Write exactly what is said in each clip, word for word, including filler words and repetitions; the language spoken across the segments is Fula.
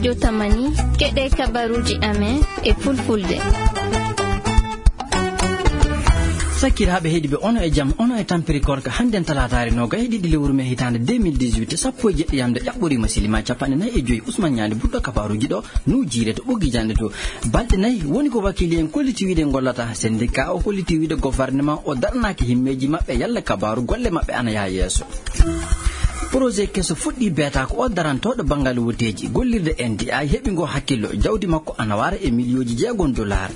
Yo tamani, keɗe kabaruuji amen e fulfulde. Sakiraaɓe heɗiiɓe, ono e jam, ono e tampere korka. Hannden talaataare noogay e ɗiɗi lewru mee hitaande deux mille dix-huit, sappo e jeɗɗi yamde ƴaɓɓoriima silimaa capanɗe nayi e joy. Usman Ñaali ɓurɗo kabaruuji ɗo, nuu jiire to ɓoggi jannde to. Balɗe nayi woni ko wakiili en kolliti wiide ngollata. Sendika o holliti wiide gofarneman o daranaaki himmeeji maɓɓe yalla kabaaru golle maɓɓe ana yaha yeeso. Projet keso fuɗɗii beetaako o darantooɗo banngal wotteeji gollirde N D I heɓi ngo hakkillo, jawdi makko ana wara e miliyooji jeegom dollar.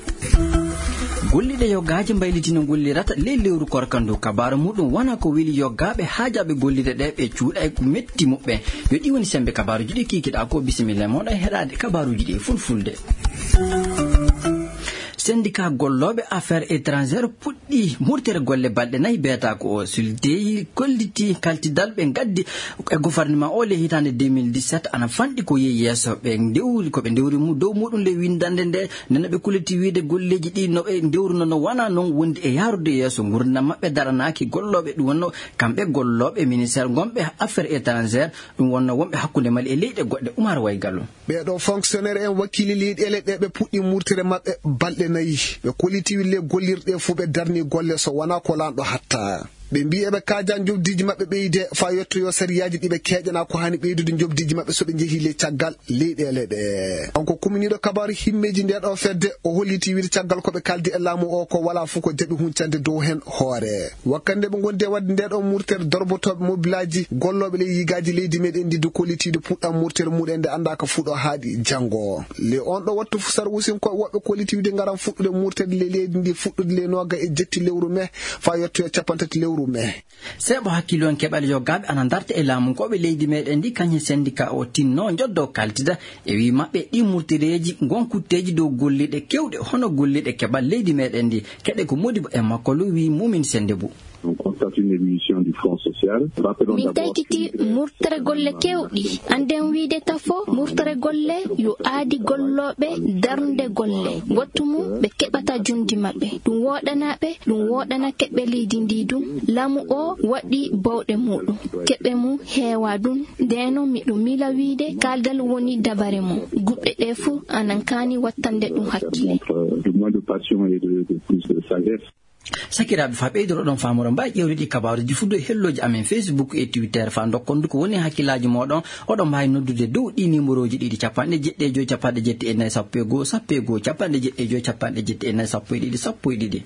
Golliiɗe yoggaaji mbayliti no ngollirata ley lewru korka ndu, kabaaru muɗum wona ko weli yoggaaɓe haajaaɓe gollirde ɗe ɓe cuuɗay ko metti muɓɓen. Yo ɗi woni semmbe kabaaruuji ɗi kiikiɗaa ko, bisimilla e mooɗon heɗaade kabaaruuji ɗi e fulfulde. Sendika gollooɓe affaires étrangères puɗɗi murtere golle balɗe nayi beetaako o. Suldeyi kolliti kaltidal ɓe ngaddi e gouvernement o ley hitaande deux mille dix-sept ana fanɗi ko yehi yeeso. Ɓe ndewri, ko ɓe ndewri mu-, dow muɗum ley winndannde nde, nde no ɓe kolliti wiide golleeji ɗi no ɓe ndewruno no wona noon wondi e yahrude yeeso. Ngurdam maɓɓe daranaaki gollooɓe, ɗum wonno kamɓe gollooɓe ministère ngonɓe affaires étrangères, ɗum wonno wonɓe hakkunde Mali e leyɗe goɗɗe. Umar Waygallo. Ɓee ɗoo fonctionnaire en wakiili leyɗeele ɗe ɓe puɗɗi murtere maɓɓe balɗe nayi. Ɓe kolliti wille gollirɗe fuu ɓe darni golle so wonaa ko laamɗo hatta. Ɓe mbii eɓe kaaja njoɓdiiji maɓɓe ɓeyde faa yettoyoo sariyaaji ɗi ɓe keeƴanaa ko haani ɓeydude njoɓdiiji maɓɓe so ɓe njehii ley caggal leyɗeele ɗe. Kanko kuminiiɗo kabaaru himmeeji ndee ɗoo fedde, o holliti wiide caggal ko ɓe kaaldi e laamu o ko walaa fof ko jaɓi huncande dow heen hoore. Wakkati nde ɓe ngondi e waɗde ndee ɗoo murtere dorbotooɓe mobilaaji gollooɓe ley yigaaji leydi meɗen ndi ndu kollitiiɗo puɗɗam murtere muɗen nde anndaa ko fuɗo haaɗi janngo. Le on ɗo wattu fu sarwusinkooɓe woɓɓe kollitiiɗo ngaran fuɗɗude murtede ley leydi ndi fuɗɗude ley nooga e jetti lewru mee faa yettoya capanɗe tati lewru mee. Seeɓo hakkillo en keɓal yoggaaɓe ana ndarta e laamunkooɓe leydi meɗen ndi, kañum sendika o tinno njoddo kaltida e wii maɓɓe ɗi murtereeji ngon kutteeji dow golliiɗe kewɗe hono golliiɗe keɓal leydi meɗen ndi. Keɗe ko Modibo e makko lu wii Mumin Sendebou. On constate une évolution du front social. Rappelons Min d'abord taykiti que, euh, murtere golle kewɗi. Annden wiide tafo murtere golle yo aadi gollooɓe darnde golle. Wattu mum ɓe keɓata jundi maɓɓe. Ɗum wooɗanaa ɓe, ɗum wooɗana keɓɓe leydi ndi dum. Laamu o waɗi bawɗe muɗum. Keɓɓe mum heewa dum. Ndeno miɗo miila wiide kaaldal woni dabare mum. Guɓɓe ɗe fuu anan kaani wattande ɗum hakkile. Euh, de moins de passion et de, de plus de sagesse. Sakiraaɓe, faa ɓeydoro ɗon faamoro, mbaawi ƴeewde ɗi kabaaruuji fuɗɗo e hellooji amen Facebook e Twitter, faa ndokkon ndu ko woni hakkillaaji mooɗon. Oɗon mbaawi noddude dow ɗi nimorooji ɗiɗi, capanɗe jeɗɗi e joy, capanɗe jetti e nayi, sappo e goo, sappo e goo, capanɗe jeɗɗi e joy, capanɗe jetti e nayi, sappo e ɗiɗi, sappo e ɗiɗi.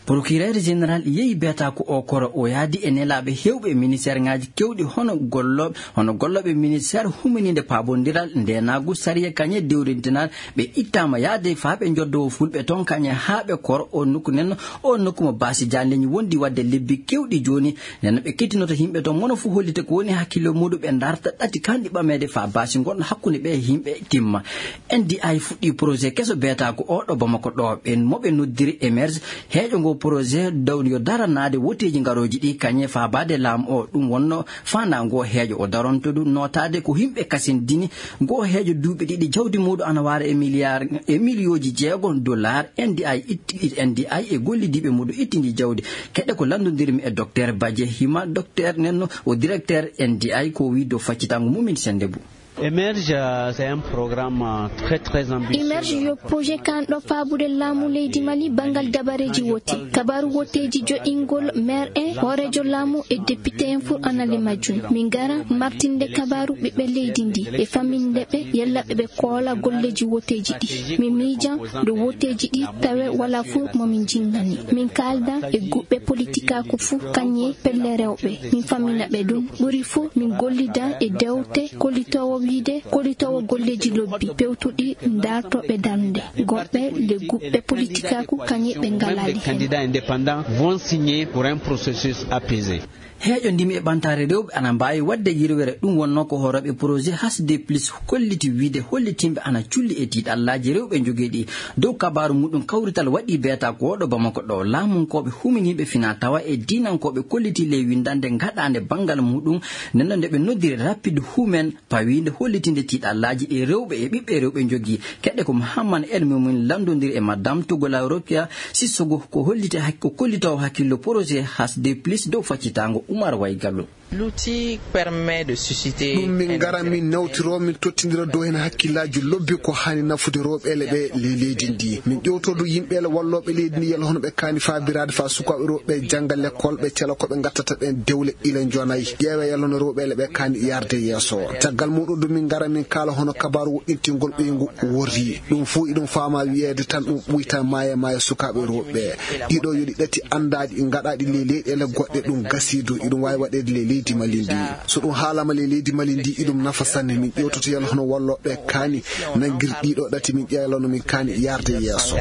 Procureur général yehi beetaaku o koro, o yaadi e nelaaɓe heewɓe e ministère ŋaaji keewɗi, hono gollooɓe, hono gollooɓe ministère huminiinde paabondiral, ndeenaagu, sariya, kañe dewrintinal, ɓe ittaama yaade faa ɓe njoddoo fulɓe toon kañe haa ɓe koro o nokku nen, o nokku mo baasi jaandeeji wondi waɗde lebbi keewɗi jooni. Nden ɓe kettinoto yimɓe toon, mono fof hollita ko woni hakkille muuɗum, ɓe ndarta ɗati kanɗi ɓameede faa baasi ngon hakkunde ɓe yimɓe timma. N D I fuɗɗii projet keso beetaaku o ɗo Bamako ɗo, ɓen mo ɓe noddiri Emerge, heeƴo ngo projet daw yo daranaade woteeji ngarooji ɗi kañe faabaade laamu o. Ɗum wonno faandaango heejo o daronto ɗum nootaade ko yimɓe kasindini ngo heejo duuɓi ɗiɗi jawdi muuɗum ana waara e miliyaar, e miliyooji jeego dollar. N D I itti, N D I e gollidiiɓe muuɗum ittindi jawdi. Keɗe ko lanndondirmi e Docteur Badje Hima, docteur nenno o directeur N D I ko wii dow faccitango mum min sennde bu. Emerge, euh, c'est un programme, euh, très, très ambitieux. Emerge yo projet kanɗo faabude laamu leydi Mali banngal dabareeji wote. Kabaaru woteeji joɗingol maire en, hooreejo laamu e député en fof ana le majjum. Min ngara martinde kabaaru ɓiɓɓe leydi ndi e faminde ɓe, yalla ɓe ɓe koola golleeji woteeji ɗi. Min miijan dow woteeji ɗi tawe wala fof mo min jinngani. Min kaalda e guɓɓe politikaaku fof kañe pelle rewɓe. Min famina ɓe ɗum. Ɓuri fof min gollida e dewte kollitoowo wiide, kollitoowo golleeji lobbi pewtuɗi daartooɓe darnde. Goɓɓe le guɓɓe politikaaku kañe ɓe ngalali heen. Candidats indépendants vont signer pour un processus apaisé. Heeƴo ndimi e ɓantaare rewɓe ana mbaawi waɗde yirwere. Ɗum wonnoo ko horooɓe projet H D plus kolliti wiide hollitinɓe ana culli e tiiɗallaaji rewɓe njogii ɗi. Dow kabaaru muɗum kawrital waɗi beeta ko ɗo Bamako ɗo. Laamunkooɓe huminiiɓe fina tawa e diinankooɓe kolliti ley winndannde ngaɗaande banngal muɗum. Nden noon nde ɓe noddiri Rapide Humaine pawiinde hollitinde tiiɗallaaji ɗi rewɓe e ɓiɓɓe rewɓe njogii. Keɗe ko Mouhammad El Moumin lanndondiri e Madame Togola Rokia Sissoko ko holliti hak-, ko kollitoowo hakkillo projet H D plus dow faccitaango Oumar Waygallo. L'outil permet de susciter ɗum min ngara min nawtiro min tottindira dow heen hakkillaaji lobbi ko haani nafude rewɓeele ɓe ley leydi ndi. Min ƴewtodo yimɓeele wallooɓe leydi ndi yalla hono ɓe kaani faabiraade faa sukaaɓe rewɓe jannga lekkol, ɓe cela ko ɓe ngattata ɓeen dewle ila njonay. Ƴeewe yalla hono rewɓeele ɓe kaani yarde yeeso. Caggal muɗum ɗum min ngara min kaala hono kabaaru woɗɗintingol ɓeyngu worri. Ɗum fof iɗum faama wiyeede tan ɗum ɓuyta maaya maaya sukaaɓe rewɓe. Ɗiɗo yoɗi ɗati anndaaɗi ngaɗaaɗi ley leyɗeele goɗɗe ɗum gasiidu iɗum waawi waɗeede ley leydi Mali ndi. So ɗum haalama ley leydi Mali ndi iɗum nafa sanne. Min ƴewtoto yalla hono wallooɓe kaani nanngir ɗiɗo ɗati min ƴeewa yalla no min kaani yarde yeeso.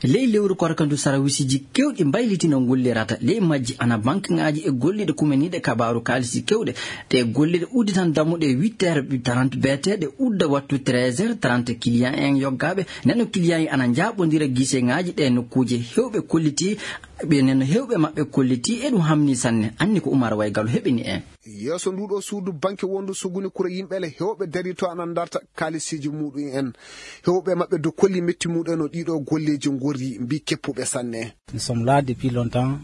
Ley lewru korka ndu sarawisiji kewɗi mbaylitino ngullirata ley majji ana bankeŋaaji e golliɗe kumaniiɗe kabaaru kaalisi kewɗe. Ɗe golliɗe udditan dammuɗe huit heures trente beeteɗe udda wattu treize heures trente. Client en yoggaaɓe neno client en ana njaaɓondira giseŋaaji ɗe nokkuuje hewɓe kolliti ɓe neno hewɓe maɓɓe kolliti e ɗum hamni sanne. Anni ko Umar Waygalo heɓini en. Yeeso nduɗo suudu banke wondu suguni kura yimɓeele hewɓe dari to ana darta kaalisiji muɗum en. Hewɓe maɓɓe do kolli metti muɗum en no ɗiɗo golleji gorri mbi keppuɓe sanne.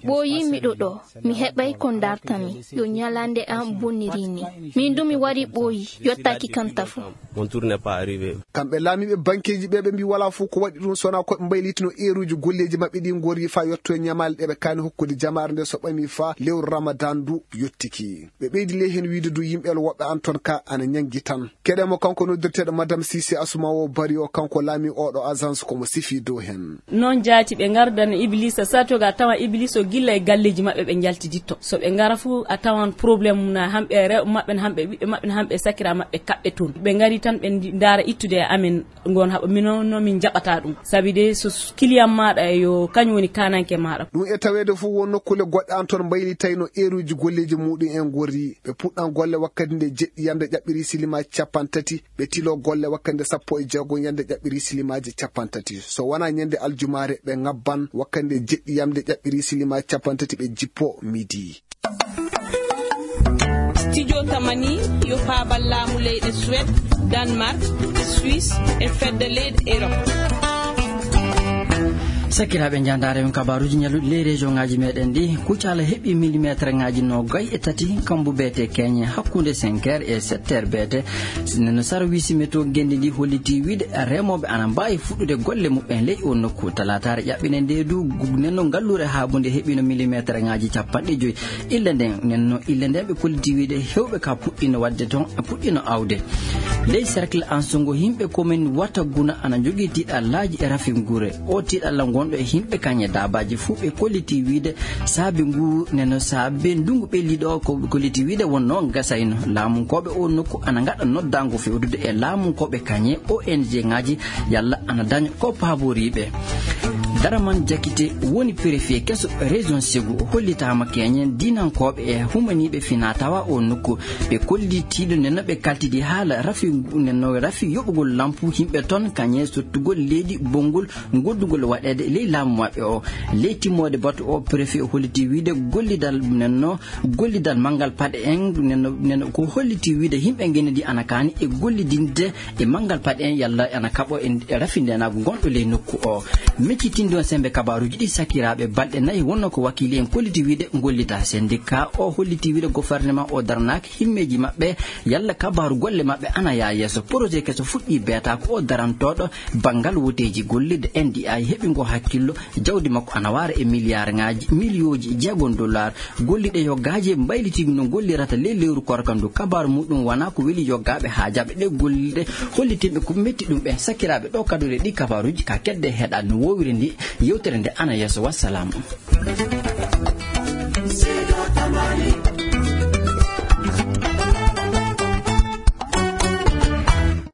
Ɓooyi miɗo ɗo, mi heɓay ko dartami yo ñalande am bonniri ni. Min du mi wari ɓooyi yottaki kam tafo. Kamɓe laamiiɓe bankeeji ɓe ɓe mbi wala fof ko waɗi ɗum sona ko ɓe mbaylitino eeruji golleeji maɓɓe ɗi ngorri fa yotto e ñamaale ɗe ɓe kaani hokkude jamaare nde so ɓami fa lewru ramadan du yottiki. Ɓe ɓeydi ley heen wiide du yimɓe woɓɓe an toon ka ana ñanngi tan. Keɗe mo kanko noddirteeɗo madame sisi asuma o bari o kanko laami oɗo agence komo sifi dow heen. Noon jaati ɓe ngardana iblisa sato ga tawa ibliso gilla e galleeji maɓɓe ɓe njaltiditto so ɓe ngara fof a tawan problème na hamɓe rewɓe maɓɓe na hamɓe ɓiɓɓe maɓɓe na hamɓe sakira maɓɓe kaɓɓe toon ɓe ngari tan ɓe ndaara ittude e amen. Ngon haɓa mino no min jaɓata ɗum sabi de so client maɗa yo kañum woni kananke maɗa. Ɗum e taweede fof won nokkule goɗɗe an toon mbaylitayno eeruji golleeji muɗum en gorri ɓe puɗɗan golle wakkati nde jeɗɗi yamde ƴaɓɓiri silimaji cappantati. Ɓe tilo golle wakkati nde sappo e jeego yamde ƴaɓɓiri silimaaji cappantati so wona ñande aljumaare ɓe ngabban wakkati nde jeɗɗi yamde ƴaɓɓiri silimaaji cappantati ɓe jippo midi. Studio tamani yo faabal laamu leyɗe suwed, danemark, suisse, e fedde leyɗe erop. Sakiraaɓe njandaare on kabaaruuji ñalluɗi ley région ngaji meɗen ɗi kucala heɓi millimétre ngaji nogay e tati kambu beete keñe hakkunde cinq heures e sept heures beete. Neno sarwisi météo gendi ndi holliti wiide remooɓe ana mbaawi fuɗɗude golle muɓɓen ley o nokku talaataare ƴaɓɓine nde du. Neno ngallure haabunde heɓino millimétre ngaji capanɗe joyi. Ille nden nenno ille nden ɓe kolliti wiide hewɓe ka puɗɗino wadde toon puɗɗino awde. Ley cercle ansungo yimɓe komin wata guna ana jogii tiiɗallaaji e rafingure. O tiiɗalla ngonɗo e yimɓe kañe daabaaji fuu ɓe kolliti wiide saabi ngu neno saabe ndungu ɓelliɗo o ko kolliti wiide wonno gasayno laamunkooɓe o nokku ana ngaɗa noddaango fewdude e laamunkooɓe kañe ong ngaji yalla ana daña ko paaboriiɓe. Daraman jakite woni préfet keso région segu hollitaama keñen dinankooɓe e humaniiɓe fina tawa o nokku. Ɓe kollitiiɗo neno ɓe kaltidi haala rafi neno rafi yoɓugol lampu yimɓe toon kañe sottugol leydi bonngol goddugol waɗeede ley laamu maɓɓe o. Ley timmoode batu o préfet holliti wiide gollidal nenno gollidal manngal paɗe en neno ko holliti wiide yimɓe ngenedi ana kaani e gollidinde e manngal paɗe en yalla ana kaɓo e rafindenaagu ngonɗo ley nokku o. Meccitinɗo on sembe kabaaruuji ɗi sakiraaɓe balɗe nayi wonno ko wakiili en kolliti wiide gollita sendika o holliti wiide gouvernement o daranaaki himmeeji maɓɓe yalla kabaaru golle maɓɓe ana yaa yeeso projet keso fuɗɗi beeta ko o darantooɗo banngal woteeji gollirde ndi ay heɓi ngo hakkillo. Jawdi makko ana waara e milliard ngaji millioji jeegom dollar. Golliɗe yoggaaji mbaylitii no gollirata ley lewru korka ndu kabaaru muɗum wona ko weli yoggaaɓe haajaaɓe ɗe golliɗe hollitinɓe ko metti ɗum ɓen sakiraaɓe ɗo kaduɗe ɗi kabaaruuji ka kedde heɗa no wowiri ndi. Yewtere nde ana yeeso wassalam.